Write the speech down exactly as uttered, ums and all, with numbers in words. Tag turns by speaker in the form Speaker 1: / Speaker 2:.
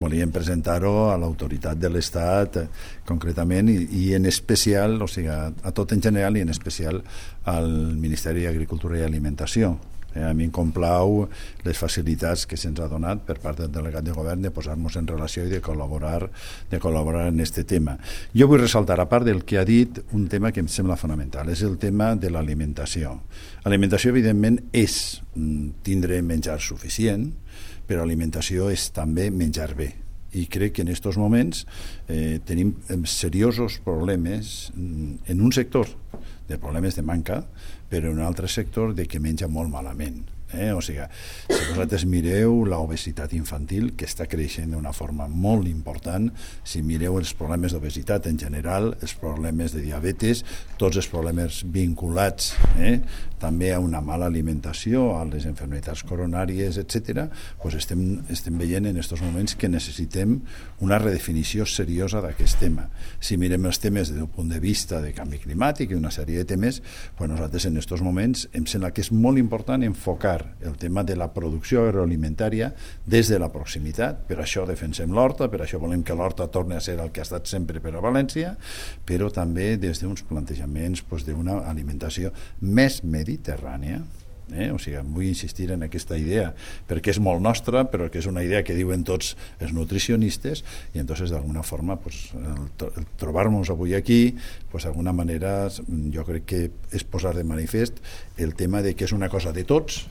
Speaker 1: Volíem presentar-ho a l'autoritat de l'Estat concretament i, i en especial, o sigui, a, a tot en general i en especial al Ministeri d'Agricultura i Alimentació. Eh, a mi em complau les facilitats que se'ns ha donat per part del delegat de govern de posar-nos en relació i de col·laborar, de col·laborar en aquest tema. Jo vull ressaltar, a part del que ha dit, un tema que em sembla fonamental, és el tema de l'alimentació. L'alimentació, evidentment, és tindre menjar suficient, però alimentació és també menjar bé. I crec que en aquests moments eh, tenim seriosos problemes en un sector de problemes de manca, però en un altre sector de que menja molt malament. Eh? O sigui, si vosaltres mireu l'obesitat infantil, que està creixent d'una forma molt important, si mireu els problemes d'obesitat en general, els problemes de diabetes, tots els problemes vinculats eh? també a una mala alimentació, a les malalties coronàries, etcètera, doncs estem, estem veient en aquests moments que necessitem una redefinició seriosa d'aquest tema. Si mirem els temes des d'un punt de vista de canvi climàtic i una sèrie de temes, doncs nosaltres en aquests moments em sembla que és molt important enfocar el tema de la producció agroalimentària des de la proximitat. Per això defensem l'horta, per això volem que l'horta torni a ser el que ha estat sempre per a València, però també des d'uns plantejaments doncs, d'una alimentació més mediterrània. Eh? O sigui, vull insistir en aquesta idea perquè és molt nostra, però que és una idea que diuen tots els nutricionistes i entonces d'alguna forma pues, el, el trobar-nos avui aquí pues, d'alguna manera jo crec que és posar de manifest el tema de que és una cosa de tots